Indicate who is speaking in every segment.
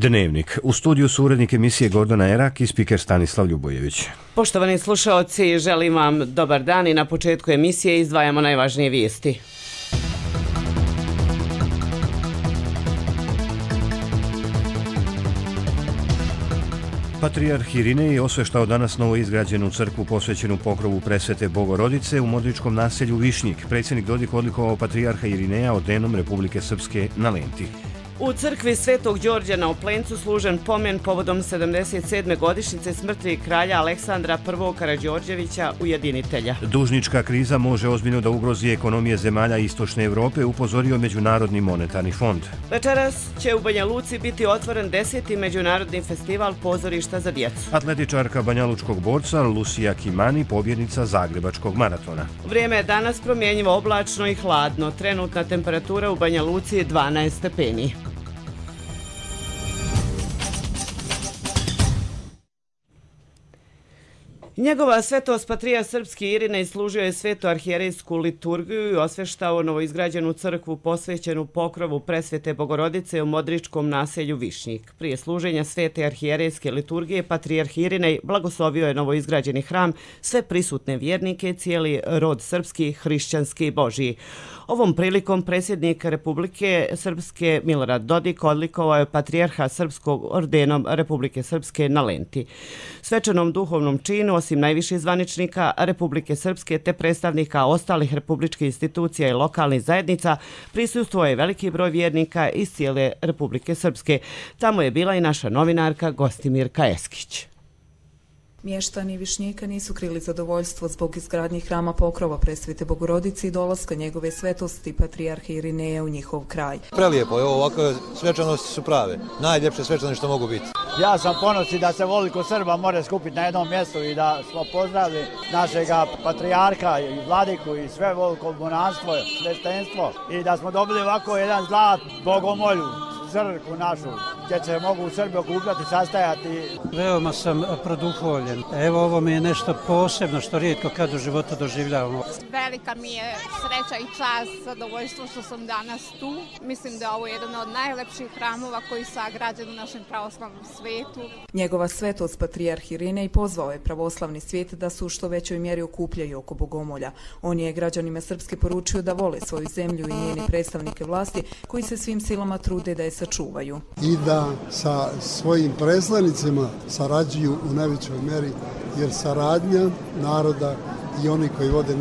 Speaker 1: Dnevnik. U studiju su urednik emisije Gordana Erak i spiker Stanislav Ljubojević.
Speaker 2: Poštovani slušaoci, želim vam dobar dan i na početku emisije izdvajamo najvažnije vijesti.
Speaker 1: Patrijarh Irinej osveštao danas novoizgrađenu crkvu posvećenu pokrovu Presvete Bogorodice u Modričkom naselju Višnjik. Predsjednik Dodik odlikovao patrijarha Irineja ordenom Republike Srpske na Lenti.
Speaker 2: U crkvi Svetog Đorđa na Oplencu služen pomen povodom 77. godišnjice smrti kralja Aleksandra I. Karađorđevića, ujedinitelja.
Speaker 1: Dužnička kriza može ozbiljno da ugrozi ekonomije zemalja Istočne Evrope, upozorio Međunarodni monetarni fond.
Speaker 2: Večeras će u Banja Luci biti otvoren 10. međunarodni festival pozorišta za djecu.
Speaker 1: Atletičarka banjalučkog borca Lucija Kimani, pobjednica Zagrebačkog maratona.
Speaker 2: Vrijeme je danas promjenjivo, oblačno i hladno. Trenutna temperatura u Banja Luci je 12 stepeni. Njegova svetost Patrijarh srpski Irinej služio je svetu arhijerejsku liturgiju i osveštao novoizgrađenu crkvu posvećenu pokrovu Presvete Bogorodice u Modričkom naselju Višnjik. Prije služenja svete arhijerejske liturgije Patrijarh Irinej blagoslovio je novoizgrađeni hram, sve prisutne vjernike, cijeli rod srpski, hrišćanski i božji. Ovom prilikom predsjednik Republike Srpske Milorad Dodik odlikovao je patrijarha srpskog ordenom Republike Srpske na Lenti. Svečanom duhovnom činu, osim najviših zvaničnika Republike Srpske te predstavnika ostalih republičkih institucija i lokalnih zajednica, prisustvovao je veliki broj vjernika iz cijele Republike Srpske. Tamo je bila i naša novinarka Gostimirka Eskić.
Speaker 3: Mještani Višnjika nisu krili zadovoljstvo zbog izgradnje hrama pokrova Presvete Bogorodice i dolaska njegove svetosti Patrijarha Irineja u njihov kraj.
Speaker 4: Prelijepo je ovo, ovakve svečanosti su prave. Najljepše svečanosti što mogu biti.
Speaker 5: Ja sam ponosi da se voliko Srba more skupiti na jednom mjestu i da smo pozdravili našega patrijarha i vladiku i sve voliko monanstvo, sveštenstvo i da smo dobili ovako jedan zlat bogomolju, crkvu našu, gdje se mogu Srbi okupljati, sastajati.
Speaker 6: Veoma sam produhovljen. Evo, ovo mi je nešto posebno što rijetko kad u životu doživljavamo.
Speaker 7: Velika mi je sreća i čast, zadovoljstvo što sam danas tu. Mislim da je ovo jedan od najlepših hramova koji su sagrađeni u našem pravoslavnom svijetu.
Speaker 3: Njegova svetost Patrijarh Irinej pozvao je pravoslavni svijet da se u što većoj mjeri okupljaju oko bogomolja. On je građanima Srpske poručio da vole svoju zemlju i njeni predstavnike vlasti koji se svim silama trude da je sačuvaju.
Speaker 8: I da sa svojim predstavnicima sarađuju u najvećoj meri, jer saradnja naroda i oni koji vode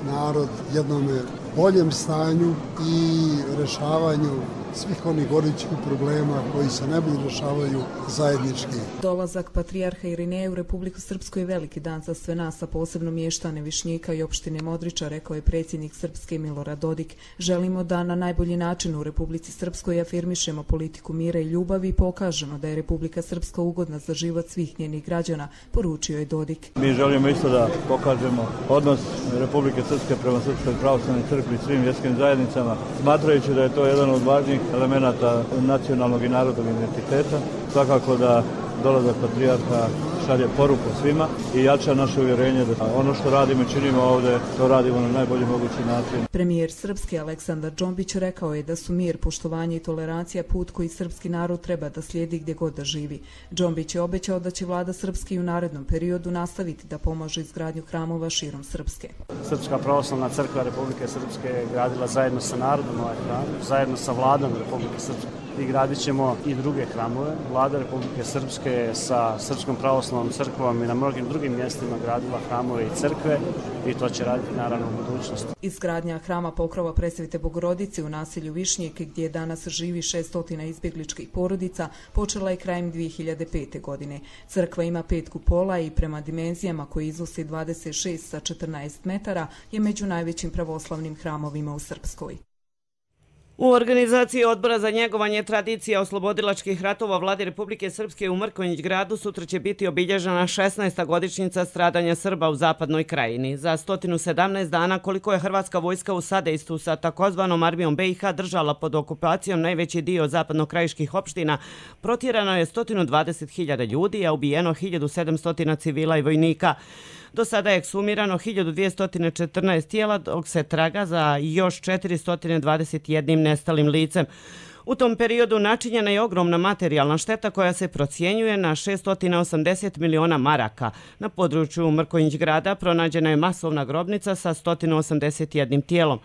Speaker 8: narod jednom boljem stanju i rešavanju svih onih gorućih problema koji se ne budu rešavaju zajednički.
Speaker 3: Dolazak Patrijarha Irineja u Republiku Srpsku je veliki dan za sve nas, a posebno mještane Višnjika i opštine Modriča, rekao je predsjednik Srpske Milorad Dodik. Želimo da na najbolji način u Republici Srpskoj afirmišemo politiku mira i ljubavi i pokažemo da je Republika Srpska ugodna za život svih njenih građana, poručio je Dodik.
Speaker 9: Mi želimo isto da pokažemo odnos Republike Srpske prema Srpskoj pravoslavnoj crkvi i svim vjerskim zajednicama, smatrajući da je to jedan od važnijih elemenata nacionalnog i narodnog identiteta. Svakako da dolazak patrijarha šalje poruku svima i jača naše uvjerenje da ono što radimo i činimo ovdje, to radimo na najbolji mogući način.
Speaker 3: Premijer Srpske Aleksandar Džombić rekao je da su mir, poštovanje i tolerancija put koji srpski narod treba da slijedi gdje god da živi. Džombić je obećao da će vlada Srpske i u narednom periodu nastaviti da pomaže izgradnju hramova širom Srpske.
Speaker 10: Srpska pravoslavna crkva Republike Srpske je gradila zajedno sa narodom ovaj hram, zajedno sa vladom Republike Srpske. I gradit ćemo i druge hramove. Vlada Republike Srpske je sa Srpskom pravoslavnom crkvom i na mnogim drugim mjestima gradila hramove i crkve i to će raditi naravno u budućnosti.
Speaker 3: Izgradnja hrama pokrova Presvete Bogorodice u naselju Višnjik, gdje danas živi 600 izbjegličkih porodica, počela je krajem 2005. godine. Crkva ima 5 kupola i prema dimenzijama koji iznose 26 sa 14 metara je među najvećim pravoslavnim hramovima u Srpskoj.
Speaker 2: U organizaciji Odbora za njegovanje tradicija oslobodilačkih ratova Vlade Republike Srpske u Mrkonjić gradu sutra će biti obilježena 16. godišnjica stradanja Srba u Zapadnoj krajini. Za 117 dana koliko je hrvatska vojska u sadejstvu sa takozvanom armijom BiH držala pod okupacijom najveći dio zapadnokrajiških opština, protjerano je 120.000 ljudi, a ubijeno 1700 civila i vojnika. Do sada je eksumirano 1214 tijela, dok se traga za još 421 nestalim licem. U tom periodu načinjena je ogromna materijalna šteta koja se procjenjuje na 680 miliona maraka. Na području Mrkonjić grada pronađena je masovna grobnica sa 181 tijelom.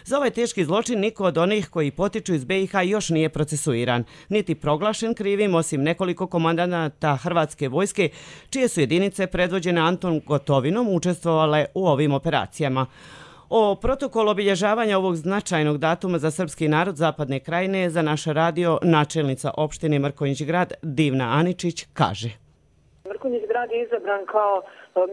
Speaker 2: Za ovaj teški zločin niko od onih koji potiču iz BiH još nije procesuiran, niti proglašen krivim osim nekoliko komandanata Hrvatske vojske, čije su jedinice predvođene Anton Gotovinom učestvovale u ovim operacijama. O protokolu obilježavanja ovog značajnog datuma za srpski narod Zapadne Krajine za naš radio načelnica opštine Mrkonjić grad Divna Aničić kaže.
Speaker 11: Mrkonjić grad je izabran kao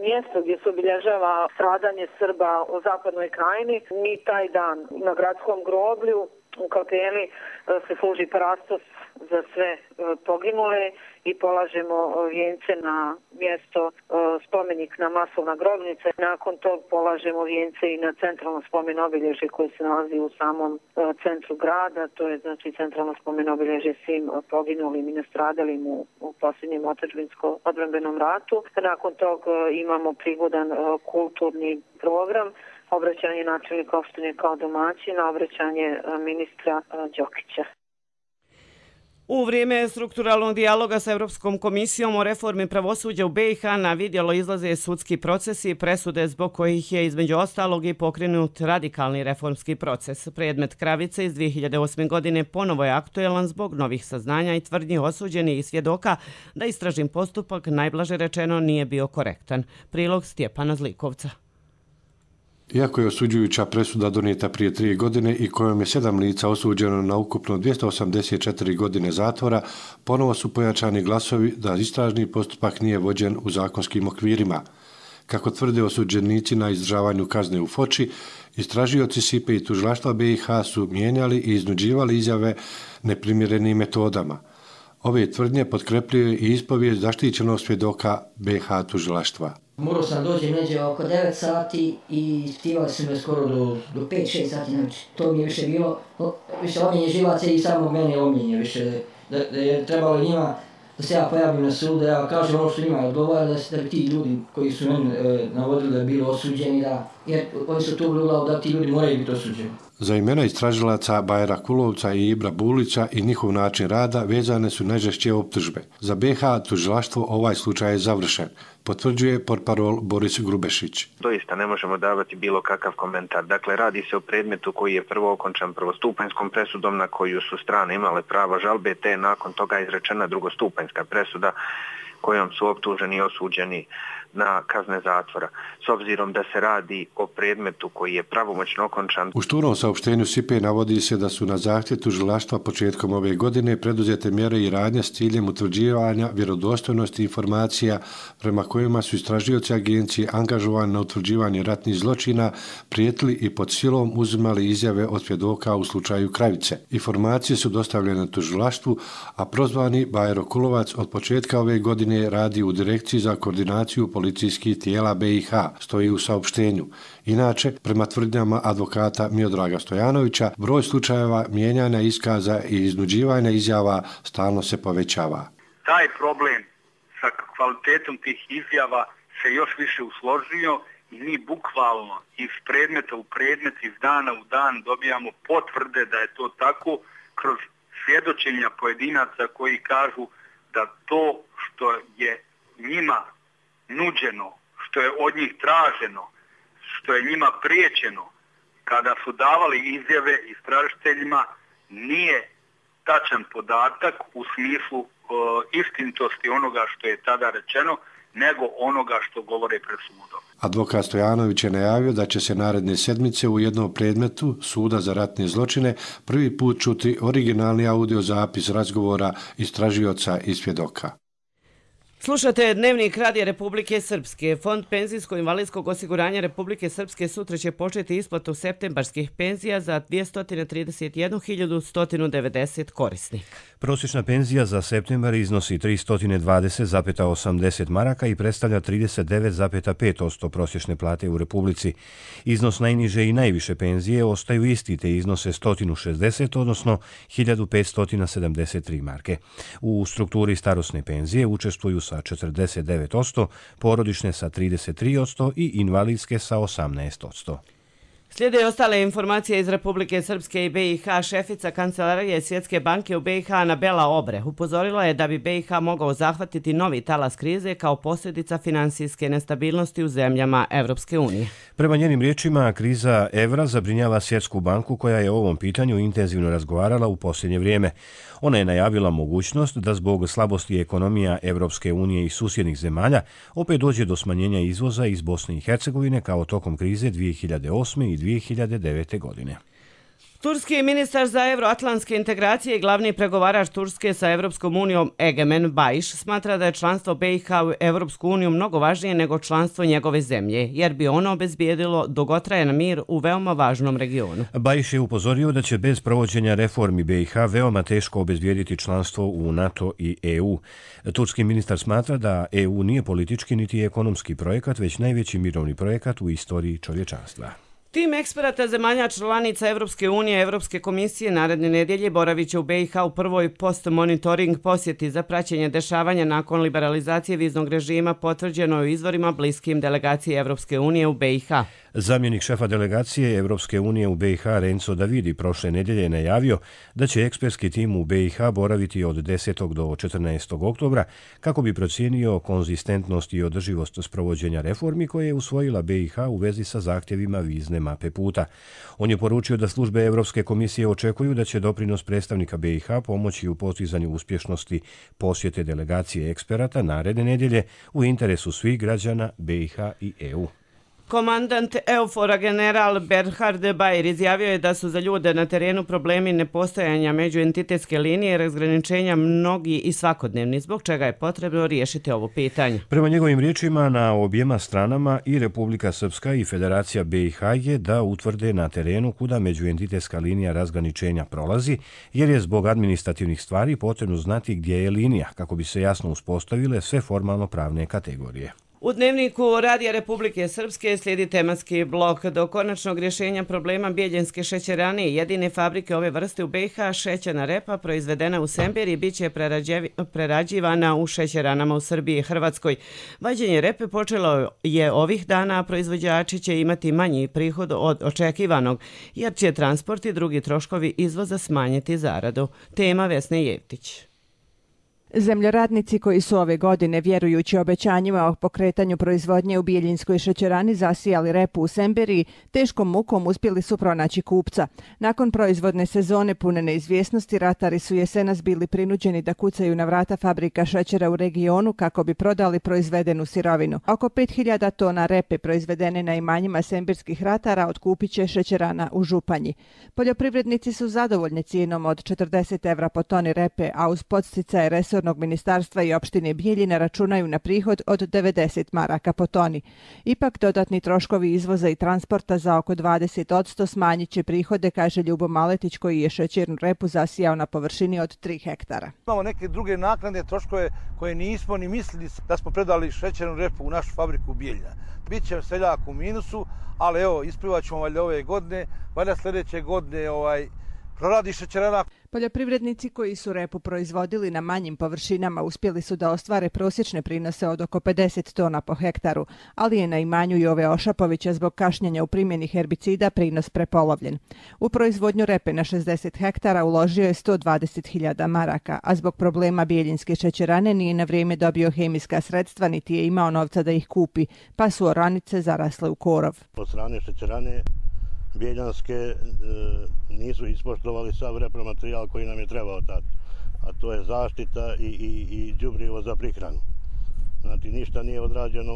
Speaker 11: mjesto gdje se obilježava stradanje Srba u Zapadnoj Krajini. Mi taj dan na gradskom groblju u kapeli se služi parastos za sve poginule i polažemo vijence na mjesto spomenik na masovna grobnica. Nakon tog polažemo vijence i na centralno spomen obilježje koje se nalazi u samom centru grada. To je znači centralno spomen obilježje svim poginulim i nastradalim u posljednjem otadžbinsko-odbrambenom ratu. Nakon tog imamo prigodan kulturni program, obraćanje načelnika opštine kao domaćina, obraćanje ministra Đokića.
Speaker 2: U vrijeme strukturalnog dijaloga sa Europskom komisijom o reformi pravosuđa u BiH na vidjelo izlaze sudski procesi i presude zbog kojih je između ostalog i pokrenut radikalni reformski proces. Predmet Kravice iz 2008. godine ponovo je aktuelan zbog novih saznanja i tvrdnji osuđenih i svjedoka da istražni postupak, najblaže rečeno, nije bio korektan. Prilog Stjepana Zlikovca.
Speaker 12: Iako je osuđujuća presuda donijeta prije 3 godine i kojom je 7 lica osuđeno na ukupno 284 godine zatvora, ponovo su pojačani glasovi da istražni postupak nije vođen u zakonskim okvirima. Kako tvrde osuđenici na izdržavanju kazne u Foči, istražioci SIPE i tužilaštva BiH su mijenjali i iznuđivali izjave neprimjerenim metodama. Ove tvrdnje potkrepljuje i ispovijest zaštićenog svjedoka BiH tužilaštva.
Speaker 13: Morao sam doći neđe oko 9 sati i ispitivali su me skoro do 5-6 sati. Znači, to mi je više bilo, više omljenje živaca i samo mene omljenje više. Da je trebalo njima da se ja pojavim na sudu, da ja kažem ono što njima odgovara, da bi ti ljudi koji su meni navodili da bili osuđeni, jer oni su to uglavnom da ti ljudi moraju biti osuđeni.
Speaker 12: Za imena istražilaca Bajra Kulovca i Ibra Bulića i njihov način rada vezane su najžešće optužbe. Za BiH tužilaštvo ovaj slučaj je završen, potvrđuje portparol Boris Grubešić.
Speaker 14: Doista ne možemo davati bilo kakav komentar. Dakle, radi se o predmetu koji je prvo okončan prvostupanjskom presudom na koju su strane imale pravo žalbe, te nakon toga izrečena drugostupanjska presuda kojom su optuženi i osuđeni na kazne zatvora. S obzirom da se radi o predmetu koji je pravomoćno okončan.
Speaker 12: U šturom saopštenju SIPE navodi se da su na zahtjev tužilaštva početkom ove godine preduzete mjere i radnje s ciljem utvrđivanja vjerodostojnosti informacija prema kojima su istražioci agencije angažovani na utvrđivanje ratnih zločina, prijetili i pod silom uzimali izjave od svjedoka u slučaju Kravice. Informacije su dostavljene tužilaštvu, a prozvani Bajro Kulovac od početka ove godine radi u Direkciji za koordinaciju policijskih tijela BiH, stoji u saopštenju. Inače, prema tvrdnjama advokata Miodraga Stojanovića, broj slučajeva mijenjanja iskaza i iznuđivanja izjava stalno se povećava.
Speaker 15: Taj problem sa kvalitetom tih izjava se još više usložio i mi bukvalno iz predmeta u predmet, iz dana u dan dobijamo potvrde da je to tako kroz svjedočenja pojedinaca koji kažu da to što je njima nuđeno, što je od njih traženo, što je njima priječeno kada su davali izjave istražiteljima nije tačan podatak u smislu istinitosti onoga što je tada rečeno, nego onoga što govore pred sudom.
Speaker 12: Advokat Stojanović je najavio da će se naredne sedmice u jednom predmetu Suda za ratne zločine prvi put čuti originalni audio zapis razgovora istražioca i svjedoka.
Speaker 2: Slušate Dnevnik Radija Republike Srpske. Fond penzijsko-invalidskog osiguranja Republike Srpske sutra će početi isplatu septembarskih penzija za 231.190 korisnika.
Speaker 1: Prosječna penzija za septembar iznosi 320,80 maraka i predstavlja 39,5% prosječne plate u Republici. Iznos najniže i najviše penzije ostaju isti, te iznose 160, odnosno 1573 marke. U strukturi starosne penzije učestvuju sa 49%, porodične sa 33% i invalidske sa 18%.
Speaker 2: Slijede i ostale informacije iz Republike Srpske i BiH. Šefica Kancelarije Svjetske banke u BiH Anabela Obre upozorila je da bi BiH mogao zahvatiti novi talas krize kao posljedica finansijske nestabilnosti u zemljama Evropske unije.
Speaker 1: Prema njenim riječima, kriza evra zabrinjava Svjetsku banku koja je o ovom pitanju intenzivno razgovarala u posljednje vrijeme. Ona je najavila mogućnost da zbog slabosti ekonomija Evropske unije i susjednih zemalja opet dođe do smanjenja izvoza iz Bosne i Hercegovine kao tokom krize 2008. i 2009. godine.
Speaker 2: Turski ministar za euroatlantske integracije i glavni pregovarač Turske sa Evropskom unijom Egemen Bayish smatra da je članstvo BiH u Evropsku uniju mnogo važnije nego članstvo njegove zemlje, jer bi ono obezbijedilo dugotrajan mir u veoma važnom regionu.
Speaker 1: Bayish je upozorio da će bez provođenja reformi BiH veoma teško obezbijediti članstvo u NATO i EU. Turski ministar smatra da EU nije politički niti ekonomski projekat, već najveći mirovni projekat u istoriji čovječanstva.
Speaker 2: Tim eksperata zemalja članica Evropske unije i Evropske komisije naredne nedjelje boravit će u BiH u prvoj post-monitoring posjeti za praćenje dešavanja nakon liberalizacije viznog režima potvrđeno u izvorima bliskim delegaciji Evropske unije u BiH.
Speaker 1: Zamjenik šefa delegacije Evropske unije u BiH Renzo Davidi prošle nedjelje je najavio da će ekspertski tim u BiH boraviti od 10. do 14. oktobra kako bi procijenio konzistentnost i održivost sprovođenja reformi koje je usvojila BiH u vezi sa zahtjevima vizne mape puta. On je poručio da službe Evropske komisije očekuju da će doprinos predstavnika BiH pomoći u postizanju uspješnosti posjete delegacije eksperata naredne nedjelje u interesu svih građana BiH i EU.
Speaker 2: Komandant EUFOR-a general Berhard Bayer izjavio je da su za ljude na terenu problemi nepostojanja međuentitetske linije razgraničenja mnogi i svakodnevni, zbog čega je potrebno riješiti ovo pitanje.
Speaker 1: Prema njegovim riječima, na objema stranama i Republika Srpska i Federacija BiH je da utvrde na terenu kuda međuentitetska linija razgraničenja prolazi, jer je zbog administrativnih stvari potrebno znati gdje je linija, kako bi se jasno uspostavile sve formalno pravne kategorije.
Speaker 2: U Dnevniku Radija Republike Srpske slijedi tematski blok. Do konačnog rješenja problema Bijeljinske šećerane i jedine fabrike ove vrste u BiH, šećerna repa proizvedena u Semberiji bit će prerađivana u šećeranama u Srbiji i Hrvatskoj. Vađenje repe počelo je ovih dana, a proizvođači će imati manji prihod od očekivanog, jer će transport i drugi troškovi izvoza smanjiti zaradu. Tema Vesne Jevtić.
Speaker 16: Zemljoradnici koji su ove godine, vjerujući obećanjima o pokretanju proizvodnje u Bijeljinskoj šećerani, zasijali repu u Semberiji, teškom mukom uspjeli su pronaći kupca. Nakon proizvodne sezone pune neizvjesnosti, ratari su jesenas bili prinuđeni da kucaju na vrata fabrika šećera u regionu kako bi prodali proizvedenu sirovinu. Oko 5000 tona repe proizvedene na imanjima sembirskih ratara otkupit će šećerana u Županji. Poljoprivrednici su zadovoljni cijenom od 40 evra po toni repe, a uz podsticaje resornog ministarstva i opštine Bijeljina računaju na prihod od 90 maraka po toni. Ipak dodatni troškovi izvoza i transporta za oko 20% smanjit će prihode, kaže Ljubo Maletić koji je šećernu repu zasijao na površini od 3 hektara.
Speaker 17: Imamo neke druge naknade, troškove koje nismo ni mislili da smo predali šećernu repu u našu fabriku Bijeljina. Biće seljak u minusu, ali evo, isplivat ćemo valjda ove godine, valjda sljedeće godine proradi šećerana.
Speaker 16: Poljoprivrednici koji su repu proizvodili na manjim površinama uspjeli su da ostvare prosječne prinose od oko 50 tona po hektaru, ali je na imanju Jove Ošapovića zbog kašnjenja u primjeni herbicida prinos prepolovljen. U proizvodnju repe na 60 hektara uložio je 120.000 maraka, a zbog problema Bijeljinske šećerane nije na vrijeme dobio hemijska sredstva niti je imao novca da ih kupi, pa su oranice zarasle u korov.
Speaker 18: Od strane šećerane Bijeljanske nisu ispoštovali sav repromaterijal koji nam je trebao tad, a to je zaštita i đubrivo za prihranu. Znači, ništa nije odrađeno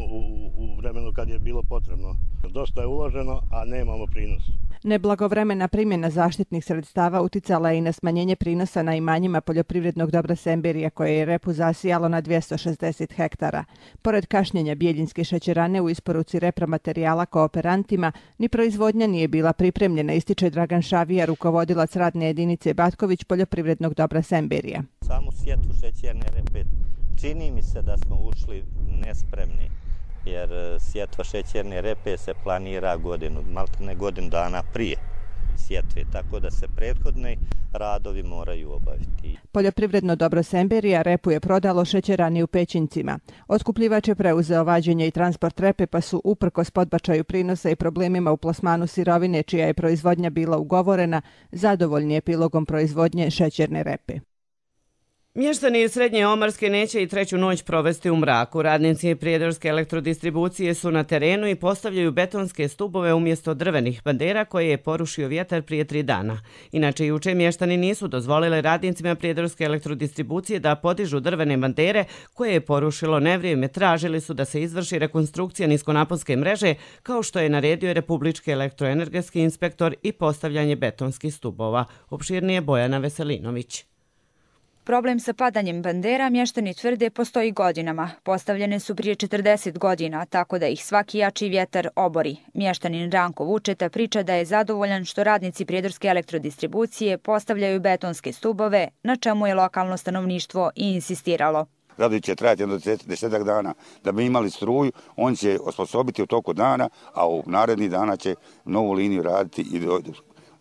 Speaker 18: u vremenu kad je bilo potrebno. Dosta je uloženo, a nemamo prinos.
Speaker 16: Neblagovremena primjena zaštitnih sredstava uticala je i na smanjenje prinosa na imanjima poljoprivrednog dobra Semberija koje je repu zasijalo na 260 hektara. Pored kašnjenja Bijeljinske šećerane u isporuci repromaterijala kooperantima, ni proizvodnja nije bila pripremljena, ističe Dragan Šavija, rukovodilac radne jedinice Batković poljoprivrednog dobra Semberija.
Speaker 19: Samu sjetvu šećerne repe čini mi se da smo ušli nespremni, jer sjetva šećerne repe se planira godinu dana prije. sjetve, tako da se prethodni radovi moraju obaviti.
Speaker 16: Poljoprivredno dobro Semberija repu je prodalo šećerani u Pećincima. Otkupljivač je preuzeo vađenje i transport repe, pa su uprkos podbačaju prinosa i problemima u plasmanu sirovine čija je proizvodnja bila ugovorena, zadovoljni epilogom proizvodnje šećerne repe.
Speaker 2: Mještani iz Srednje Omarske neće i treću noć provesti u mraku. Radnici Prijedorske elektrodistribucije su na terenu i postavljaju betonske stubove umjesto drvenih bandera koje je porušio vjetar prije 3 dana. Inače, juče mještani nisu dozvolili radnicima Prijedorske elektrodistribucije da podižu drvene bandere koje je porušilo nevrijeme. Tražili su da se izvrši rekonstrukcija niskonaponske mreže, kao što je naredio Republički elektroenergetski inspektor, i postavljanje betonskih stubova. Opširnije Bojana Veselinović.
Speaker 20: Problem sa padanjem bandera mještani tvrde postoji godinama. Postavljene su prije 40 godina, tako da ih svaki jači vjetar obori. Mještanin Ranko Vučeta priča da je zadovoljan što radnici Prijedorske elektrodistribucije postavljaju betonske stubove, na čemu je lokalno stanovništvo i insistiralo.
Speaker 21: Radovi će trajati jedno 10 dana. Da bi imali struju, on će osposobiti u toku dana, a u narednih dana će novu liniju raditi i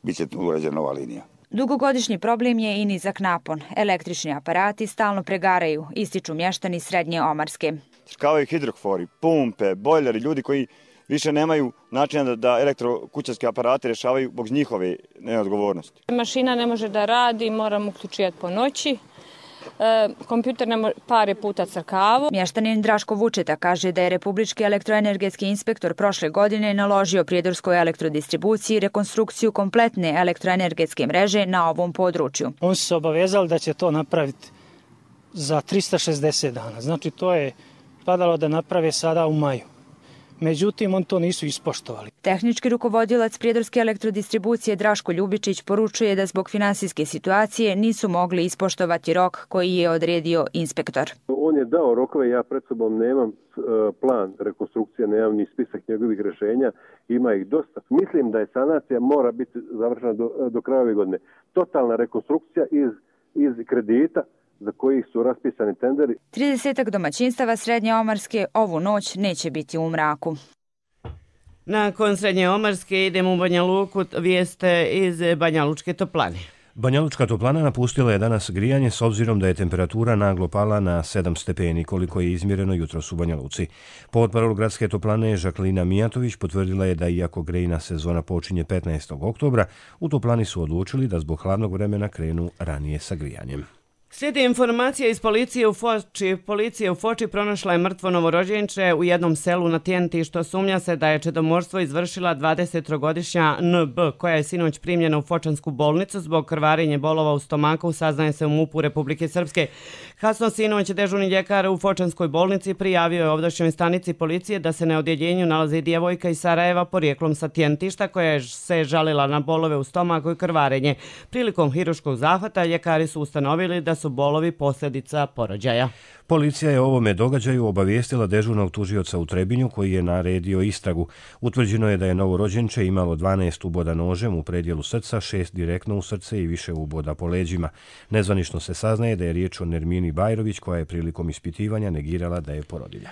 Speaker 21: bit će urađena nova linija.
Speaker 20: Dugogodišnji problem je i nizak napon. Električni aparati stalno pregaraju, ističu mještani Srednje Omarske.
Speaker 22: Kao hidrofori, pumpe, bojleri, ljudi koji više nemaju načina da elektrokućanske aparate rješavaju zbog njihove neodgovornosti.
Speaker 23: Mašina ne može da radi, moramo uključivati po noći. Kompjuter nam pare puta crkavu.
Speaker 20: Mještanin Draško Vučeta kaže da je Republički elektroenergetski inspektor prošle godine naložio Prijedorskoj elektrodistribuciji rekonstrukciju kompletne elektroenergetske mreže na ovom području.
Speaker 6: Oni su se obavezali da će to napraviti za 360 dana. Znači to je padalo da naprave sada u maju. Međutim, oni to nisu ispoštovali.
Speaker 20: Tehnički rukovodilac Prijedorske elektrodistribucije Draško Ljubičić poručuje da zbog finansijske situacije nisu mogli ispoštovati rok koji je odredio inspektor.
Speaker 24: On je dao rokove, ja pred sobom nemam plan rekonstrukcije, nemam ni spisak njegovih rješenja, ima ih dosta. Mislim da je sanacija mora biti završena do kraja ove godine. Totalna rekonstrukcija iz kredita za kojih su raspisani tenderi.
Speaker 20: 30 domaćinstava Srednje Omarske ovu noć neće biti u mraku.
Speaker 2: Nakon Srednje Omarske idemo u Banja Luku, vijeste iz Banja Lučke toplane.
Speaker 1: Banja Lučka toplana napustila je danas grijanje s obzirom da je temperatura naglo pala na 7 stepeni, koliko je izmjereno jutros u Banja Luci. Portparol gradske toplane Žaklina Mijatović potvrdila je da iako grejna sezona počinje 15. oktobra, u toplani su odlučili da zbog hladnog vremena krenu ranije sa grijanjem.
Speaker 2: Slijedi informacija iz policije u Foči. Policija u Foči pronašla je mrtvo novorođenče u jednom selu na Tijenti, što sumnja se da je čedomorstvo izvršila 23-godišnja NB, koja je sinoć primljena u Fočansku bolnicu zbog krvarenja bolova u stomaku, saznaje se u MUP-u Republike Srpske. Kasno sinoć dežurni ljekar u Fočanskoj bolnici prijavio je ovdašnjoj stanici policije da se na odjeljenju nalazi djevojka iz Sarajeva porijeklom sa Tijentišta koja se žalila na bolove u stomaku i krvarenje. Prilikom hiruškog zahvata ljekari su ustanovili da su bolovi posljedica porođaja.
Speaker 1: Policija je o ovome događaju obavijestila dežurnog tužioca u Trebinju koji je naredio istragu. Utvrđeno je da je novorođenče imalo 12 uboda nožem u predjelu srca, 6 direktno u srce i više uboda po leđima. Nezvanično se saznaje da je riječ o Nermini Bajrović koja je prilikom ispitivanja negirala da je porodilja.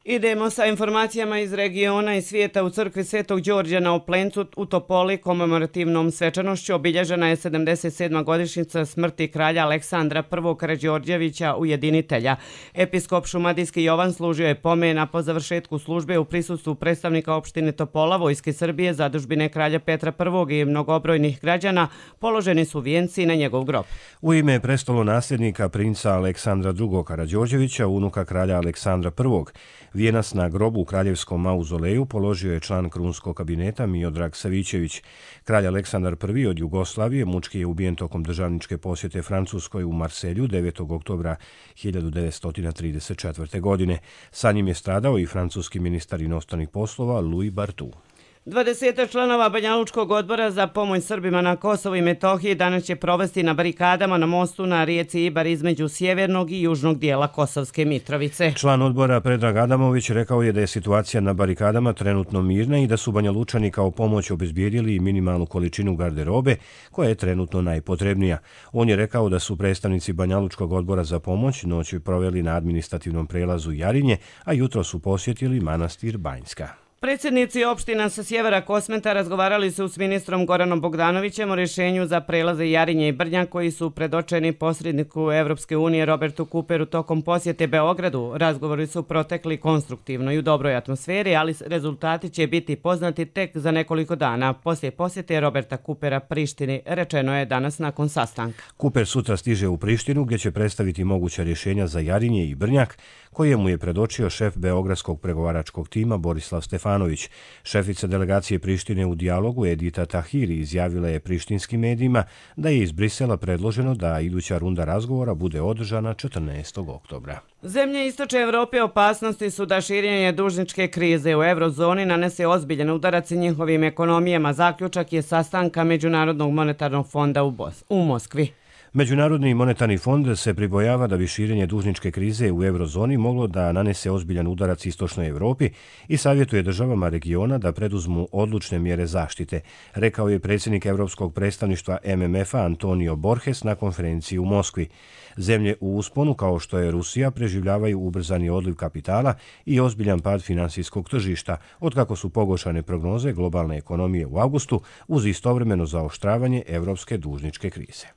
Speaker 2: Idemo sa informacijama iz regiona i svijeta. U crkvi Svetog Đorđa na Oplencu u Topoli komemorativnom svečanošću obilježena je 77. godišnjica smrti kralja Aleksandra I. Karađorđevića ujedinitelja. Episkop šumadijski Jovan služio je pomen, a po završetku službe u prisustvu predstavnika opštine Topola, Vojske Srbije, zadužbine kralja Petra I. i mnogobrojnih građana položeni su vijenci na njegov grob.
Speaker 1: U ime prestolonasljednika princa Aleksandra II. Karađorđevića, unuka kralja Aleksandra I. Vijenac na grobu u kraljevskom mauzoleju položio je član krunskog kabineta Miodrag Savićević. Kralj Aleksandar I. od Jugoslavije mučki je ubijen tokom državničke posjete Francuskoj u Marselju 9. oktobra 1934. godine. Sa njim je stradao i francuski ministar inostranih poslova Louis Barthou.
Speaker 2: 20 članova Banjalučkog odbora za pomoć Srbima na Kosovu i Metohiji danas će provesti na barikadama na mostu na rijeci Ibar između sjevernog i južnog dijela Kosovske Mitrovice.
Speaker 1: Član odbora Predrag Adamović rekao je da je situacija na barikadama trenutno mirna i da su Banjalučani kao pomoć obezbijedili minimalnu količinu garderobe koja je trenutno najpotrebnija. On je rekao da su predstavnici Banjalučkog odbora za pomoć noć proveli na administrativnom prelazu Jarinje, a jutro su posjetili manastir Banjska.
Speaker 2: Predsjednici opština sa sjevera Kosmeta razgovarali su s ministrom Goranom Bogdanovićem o rješenju za prelaze Jarinje i Brnjak koji su predočeni posredniku Evropske unije Robertu Cooperu tokom posjete Beogradu. Razgovori su protekli konstruktivno i u dobroj atmosferi, ali rezultati će biti poznati tek za nekoliko dana. Poslije posjete Roberta Coopera Prištini, rečeno je danas nakon sastanka.
Speaker 1: Cooper sutra stiže u Prištinu gdje će predstaviti moguća rješenja za Jarinje i Brnjak, koje mu je predočio šef beogradskog pregovaračkog tima Borislav Stefanović. Šefica delegacije Prištine u dijalogu Edita Tahiri izjavila je prištinskim medijima da je iz Brisela predloženo da iduća runda razgovora bude održana 14. oktobra.
Speaker 2: Zemlje istočne Evrope opasnosti su da širenje dužničke krize u eurozoni nanese ozbiljan udarac njihovim ekonomijama. Zaključak je sastanka Međunarodnog monetarnog fonda u Moskvi.
Speaker 1: Međunarodni monetarni fond se pribojava da bi širenje dužničke krize u eurozoni moglo da nanese ozbiljan udarac istočnoj Evropi i savjetuje državama regiona da preduzmu odlučne mjere zaštite, rekao je predsjednik Europskog predstavništva MMF-a Antonio Borges na konferenciji u Moskvi. Zemlje u usponu kao što je Rusija preživljavaju ubrzani odliv kapitala i ozbiljan pad financijskog tržišta, otkako su pogoršane prognoze globalne ekonomije u avgustu uz istovremeno zaoštravanje evropske dužničke krize.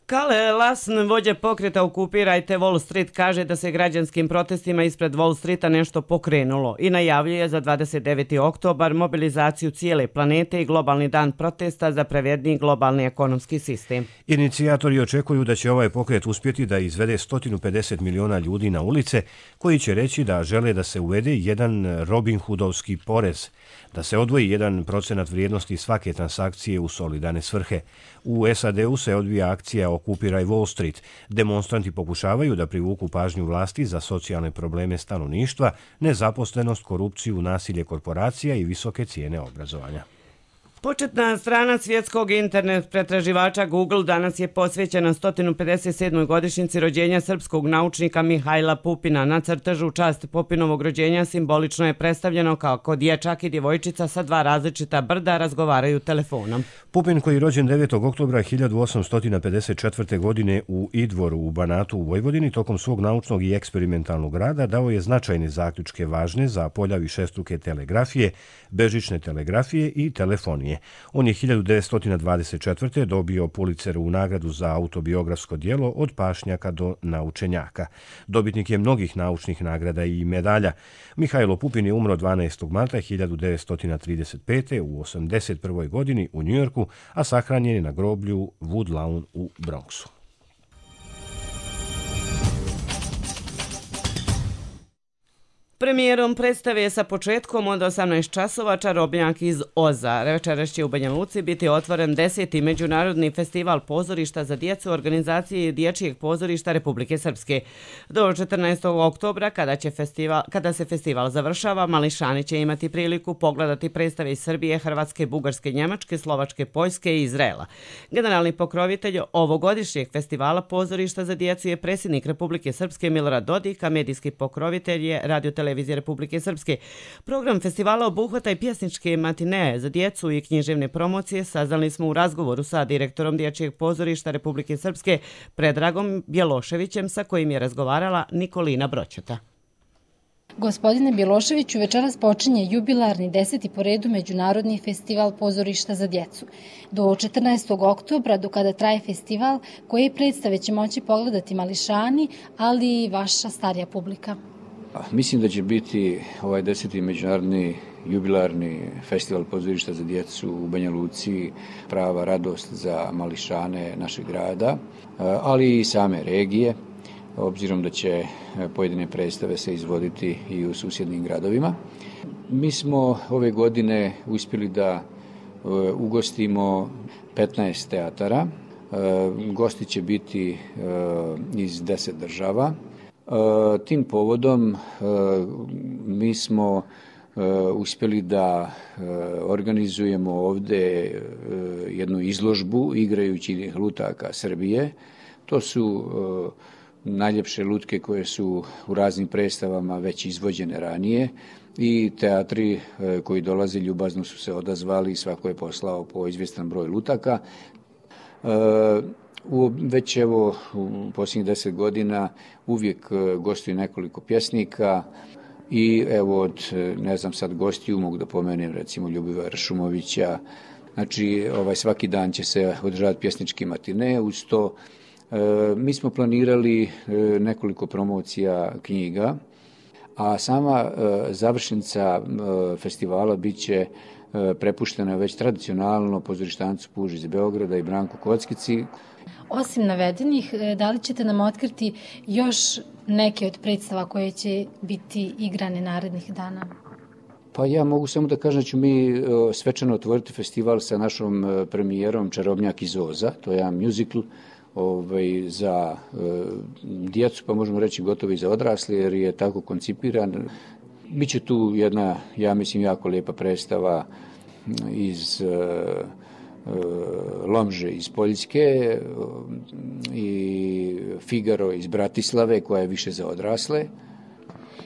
Speaker 2: Kale Lasn, vođa pokreta Okupirajte Wall Street, kaže da se građanskim protestima ispred Wall Streeta nešto pokrenulo i najavljuje za 29. oktobar mobilizaciju cijele planete i globalni dan protesta za pravedniji globalni ekonomski sistem.
Speaker 1: Inicijatori očekuju da će ovaj pokret uspjeti da izvede 150 miliona ljudi na ulice koji će reći da žele da se uvede jedan Robin Hoodovski porez, da se odvoji 1% vrijednosti svake transakcije u solidarne svrhe. U SAD-u se odvija akcija Okupiraj Wall Street. Demonstranti pokušavaju da privuku pažnju vlasti za socijalne probleme stanovništva, nezaposlenost, korupciju, nasilje korporacija i visoke cijene obrazovanja.
Speaker 2: Početna strana svjetskog internet pretraživača Google danas je posvećena 157. godišnjici rođenja srpskog naučnika Mihajla Pupina. Na crtežu u čast Pupinovog rođenja simbolično je predstavljeno kako dječak i djevojčica sa dva različita brda razgovaraju telefonom.
Speaker 1: Pupin, koji je rođen 9. oktobra 1854. godine u Idvoru u Banatu u Vojvodini, tokom svog naučnog i eksperimentalnog rada dao je značajne zaključke važne za polja višestruke telegrafije, bežične telegrafije i telefonije. On je 1924. dobio Pulitzerovu nagradu za autobiografsko djelo Od pašnjaka do naučenjaka. Dobitnik je mnogih naučnih nagrada i medalja. Mihajlo Pupin je umro 12. marta 1935. u 81. godini u Njujorku, a sahranjen je na groblju Woodlawn u Bronxu.
Speaker 2: Premijerom predstave sa početkom od 18 časova Čarobnjak iz Oza. Večeras će u Banja Luci biti otvoren 10. Međunarodni festival pozorišta za djecu organizacije Dječjeg pozorišta Republike Srpske. Do 14. oktobra, kada se festival završava, mališani će imati priliku pogledati predstave iz Srbije, Hrvatske, Bugarske, Njemačke, Slovačke, Poljske i Izraela. Generalni pokrovitelj ovogodišnjeg festivala pozorišta za djecu je predsjednik Republike Srpske Milorad Dodik, a medijski pokrovitelj je Radio-televizija Republike Srpske. Program festivala obuhvata i pjesničke matineje za djecu i književne promocije. Saznali smo u razgovoru sa direktorom Dječjeg pozorišta Republike Srpske Predragom Bjeloševićem, sa kojim je razgovarala Nikolina Broćeta.
Speaker 4: Gospodine Bjeloševiću, večeras počinje jubilarni 10. po redu Međunarodni festival pozorišta za djecu. Do 14. oktobra, do kada traje festival, koje predstave će moći pogledati mališani, ali i vaša starija publika?
Speaker 5: Mislim da će biti ovaj 10. međunarodni jubilarni festival pozorišta za djecu u Banja Luci prava radost za mališane našeg grada, ali i same regije, obzirom da će pojedine predstave se izvoditi i u susjednim gradovima. Mi smo ove godine uspjeli da ugostimo 15 teatara. Gosti će biti iz 10 država. Tim povodom mi smo uspjeli da organizujemo ovdje jednu izložbu igrajućih lutaka Srbije. To su najljepše lutke koje su u raznim predstavama već izvođene ranije i teatri koji dolaze ljubazno su se odazvali i svako je poslao po izvjestan broj lutaka. Već evo u posljednjih 10 godina uvijek gostuje nekoliko pjesnika. I evo od, ne znam sad, gostiju mogu da pomenem recimo Ljubivara Šumovića. Znači svaki dan će se održavati pjesnički matine. Uz to mi smo planirali nekoliko promocija knjiga, a sama završnica festivala bit će prepuštena već tradicionalno pozorištancu Puži iz Beograda i Branku Kockici.
Speaker 4: Osim navedenih, da li ćete nam otkriti još neke od predstava koje će biti igrane narednih dana?
Speaker 5: Pa ja mogu samo da kažem da ću mi svečano otvoriti festival sa našom premijerom Čarobnjak iz Oza. To je jedan muzikl za djecu, pa možemo reći gotovo i za odrasle, jer je tako koncipiran. Biće tu jedna, ja mislim, jako lijepa predstava iz Lomže iz Poljske i Figaro iz Bratislave, koja je više za odrasle.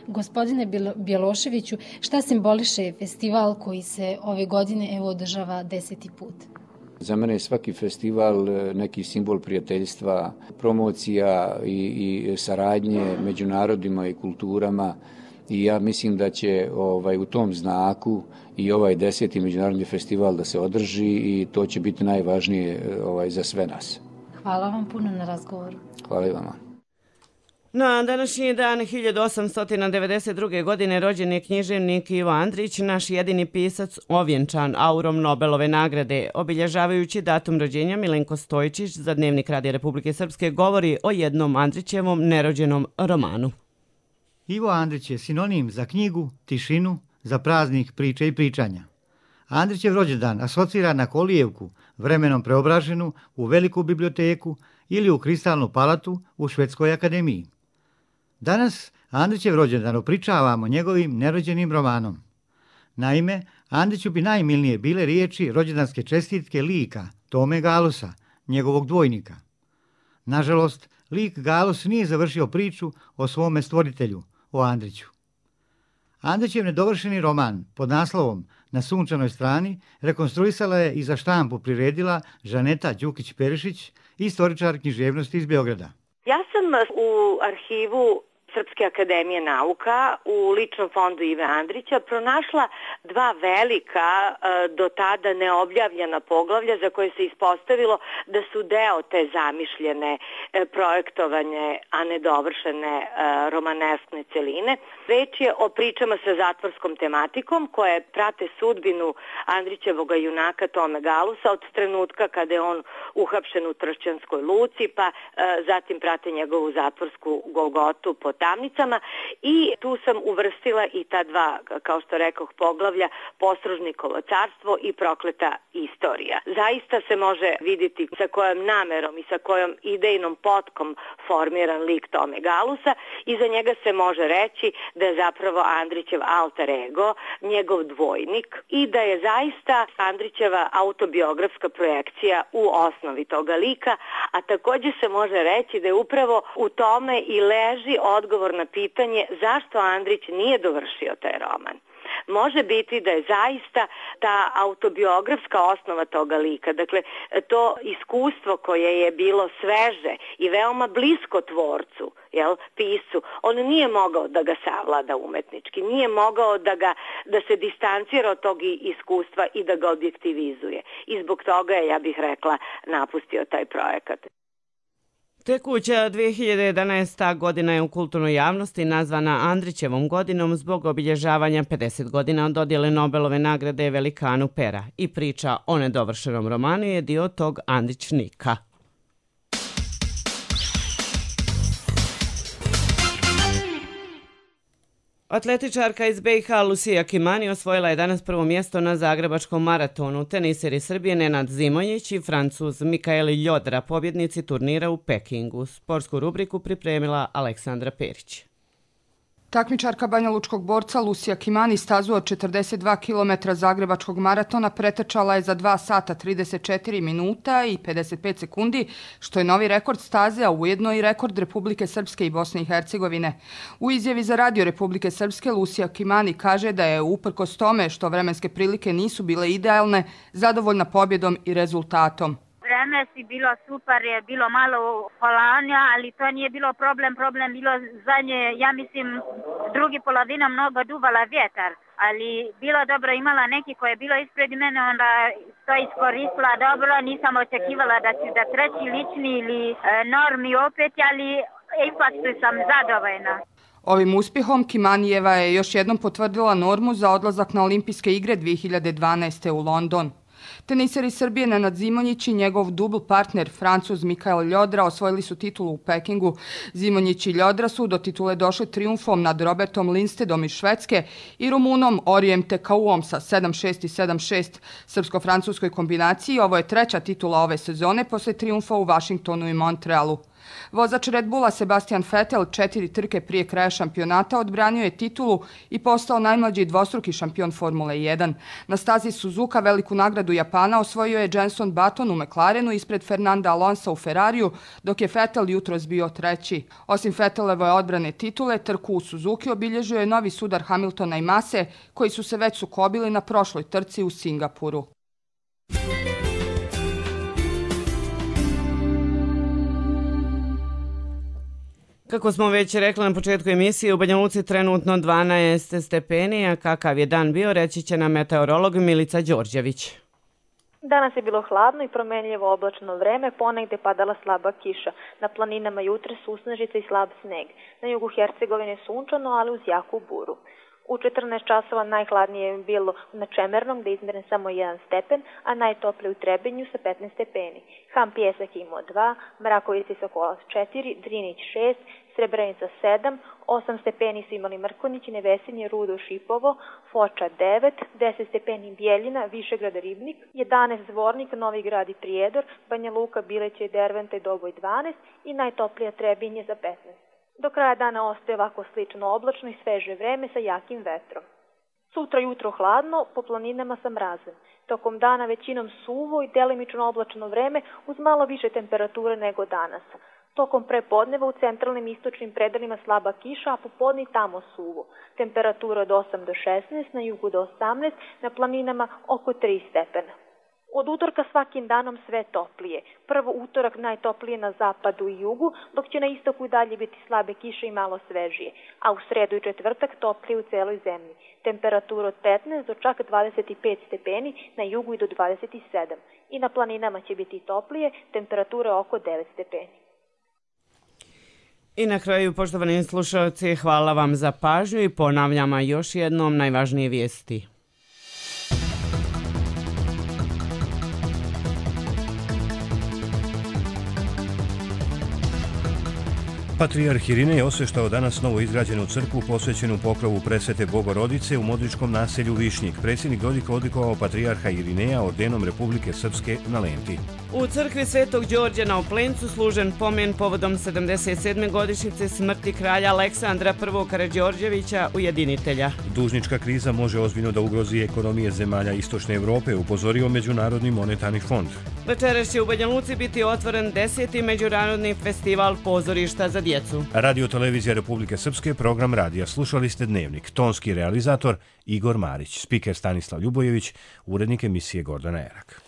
Speaker 4: Gospodine Bjeloševiću, šta simboliše festival koji se ove godine održava 10. put?
Speaker 5: Za mene je svaki festival neki simbol prijateljstva, promocija i saradnje među narodima i kulturama. I ja mislim da će u tom znaku i ovaj 10. međunarodni festival da se održi i to će biti najvažnije za sve nas.
Speaker 4: Hvala vam puno na razgovoru.
Speaker 5: Hvala i vama.
Speaker 2: Na današnji dan 1892. godine rođen je književnik Ivo Andrić, naš jedini pisac ovjenčan aurom Nobelove nagrade. Obilježavajući datum rođenja, Milenko Stojčić za Dnevnik Radija Republike Srpske govori o jednom Andrićevom nerođenom romanu.
Speaker 7: Ivo Andrić je sinonim za knjigu, tišinu, za praznik priče i pričanja. Andrićev rođendan asocira na kolijevku, vremenom preobraženu u veliku biblioteku ili u kristalnu palatu u Švedskoj akademiji. Danas Andrićev rođendan opričavamo njegovim nerođenim romanom. Naime, Andriću bi najmilnije bile riječi rođendanske čestitke lika Tome Galusa, njegovog dvojnika. Nažalost, lik Galus nije završio priču o svome stvoritelju, o Andriću. Andrićev nedovršeni roman pod naslovom Na sunčanoj strani rekonstruisala je i za štampu priredila Žaneta Đukić-Perišić, istoričar književnosti iz Beograda.
Speaker 8: Ja sam u arhivu Srpske akademije nauka u ličnom fondu Ive Andrića pronašla dva velika, do tada neobjavljena poglavlja za koje se ispostavilo da su deo te zamišljene, projektovanje, a nedovršene romaneskne celine. Reč je o pričama sa zatvorskom tematikom koje prate sudbinu Andrićevoga junaka Tome Galusa od trenutka kada je on uhapšen u Tršćanskoj luci, pa zatim prate njegovu zatvorsku golgotu po tamnicama i tu sam uvrstila i ta dva, kao što rekoh, poglavlja Posružnikovo carstvo i Prokleta istorija. Zaista se može vidjeti sa kojom namerom i sa kojom idejnom potkom formiran lik Tome Galusa i za njega se može reći da je zapravo Andrićev alter ego, njegov dvojnik i da je zaista Andrićeva autobiografska projekcija u osnovi toga lika, a također se može reći da je upravo u tome i leži odgovor na pitanje zašto Andrić nije dovršio taj roman. Može biti da je zaista ta autobiografska osnova toga lika, dakle to iskustvo koje je bilo sveže i veoma blisko tvorcu, piscu, on nije mogao da ga savlada umetnički, nije mogao da se distancira od tog iskustva i da ga objektivizuje. I zbog toga je, ja bih rekla, napustio taj projekat.
Speaker 2: Tekuća 2011. godina je u kulturnoj javnosti nazvana Andrićevom godinom zbog obilježavanja 50 godina od dodjele Nobelove nagrade velikanu pera i priča o nedovršenom romanu je dio tog Andrićnika. Atletičarka iz BiH Lucija Kimani osvojila je danas prvo mjesto na Zagrebačkom maratonu. Teniseri Srbije Nenad Zimonjić i Francuz Mikael Ljodra, pobjednici turnira u Pekingu. Sportsku rubriku pripremila Aleksandra Perić.
Speaker 9: Takmičarka banjalučkog borca Lucija Kimani stazu od 42 km Zagrebačkog maratona pretrčala je za 2 sata 34 minuta i 55 sekundi, što je novi rekord staze, a ujedno i rekord Republike Srpske i Bosne i Hercegovine. U izjavi za Radio Republike Srpske Lucija Kimani kaže da je uprkos tome što vremenske prilike nisu bile idealne, zadovoljna pobjedom i rezultatom.
Speaker 3: vreme si bilo super, je bilo malo kolanja, ali to nije bilo problem bilo zadnje, ja mislim, drugi polovina mnogo duvala vjetar, ali bilo dobro, imala neki koje je bilo ispred mene, onda to iskoristila dobro, nisam očekivala da ću da treći lični ili normi opet, ali ipak sam zadovoljna.
Speaker 9: Ovim uspjehom Kimanijeva je još jednom potvrdila normu za odlazak na Olimpijske igre 2012. u London. Teniseri Srbije Nenad Zimonjić i njegov dubl partner Francuz Mikael Ljodra osvojili su titulu u Pekingu. Zimonjić i Ljodra su do titule došli trijumfom nad Robertom Lindstedom iz Švedske i Rumunom Orijem Tekauom sa 7-6 i 7-6. Srpsko-francuskoj kombinaciji ovo je treća titula ove sezone posle trijumfa u Vašingtonu i Montrealu. Vozač Red Bulla Sebastian Vettel 4 trke prije kraja šampionata odbranio je titulu i postao najmlađi dvostruki šampion Formule 1. Na stazi Suzuka veliku nagradu Japana osvojio je Jenson Button u McLarenu ispred Fernanda Alonsa u Ferrariju, dok je Vettel jutros bio treći. Osim Vettelove odbrane titule, trku u Suzuki obilježio je novi sudar Hamiltona i Mase, koji su se već sukobili na prošloj trci u Singapuru.
Speaker 2: Kako smo već rekli na početku emisije, u Banja Luci trenutno 12 stepeni, a kakav je dan bio, reći će nam meteorolog Milica Đorđević.
Speaker 10: Danas je bilo hladno i promenljivo oblačno vreme, ponegde padala slaba kiša. Na planinama jutre susnežica i slab sneg. Na jugu Hercegovine sunčano, ali uz jaku buru. U 14 časova najhladnije je bilo na Čemernom, gde je izmeren samo 1 stepen, a najtoplije u Trebinju sa 15 stepeni. Ham Pjesak imao 2, Mrakovica i Sokolac 4, Drinić 6, Srebrenica 7, 8 stepeni su imali Mrkonić, Nevesinje, Rudo, Šipovo, Foča 9, 10 stepeni Bijeljina, Višegrad, Ribnik, 11 Zvornik, Novi Grad i Prijedor, Banja Luka, Bileće, Derventa i Doboj 12 i najtoplija Trebinje za 15. Do kraja dana ostaje ovako slično oblačno i sveže vreme sa jakim vetrom. Sutra jutro hladno, po planinama sa mrazem. Tokom dana većinom suvo i delimično oblačno vreme uz malo više temperature nego danas. Tokom prepodneva u centralnim i istočnim predelima slaba kiša, a popodne tamo suvo. Temperatura od 8 do 16, na jugu do 18, na planinama oko 3 stepena. Od utorka svakim danom sve toplije. Prvo utorak najtoplije na zapadu i jugu, dok će na istoku i dalje biti slabe kiše i malo svežije, a u sredu i četvrtak toplije u celoj zemlji. Temperatura od 15 do čak 25 stepeni, na jugu i do 27. I na planinama će biti toplije, temperatura oko 9 stepeni.
Speaker 2: I na kraju, poštovani slušalci, hvala vam za pažnju i ponavljamo još jednom najvažnije vijesti.
Speaker 1: Patrijarh Irinej osveštao danas novo izgrađenu crkvu posvećenu pokrovu presvete Bogorodice u modričkom naselju Višnjik. Predsjednik Dodika odlikovao patrijarha Irineja ordenom Republike Srpske na Lenti.
Speaker 2: U crkvi Svetog Đorđa na Oplencu služen pomen povodom 77. godišnjice smrti kralja Aleksandra I. Karađorđevića, ujedinitelja.
Speaker 1: Dužnička kriza može ozbiljno da ugrozi ekonomije zemalja Istočne Evrope, upozorio Međunarodni monetarni fond.
Speaker 2: Večeras će u Banja Luci biti otvoren 10. Međunarodni festival pozorišta za djecu.
Speaker 1: Radio Televizija Republike Srpske, program radija. Slušali ste Dnevnik. Tonski realizator Igor Marić, spiker Stanislav Ljubojević, urednik emisije Gordana Erak.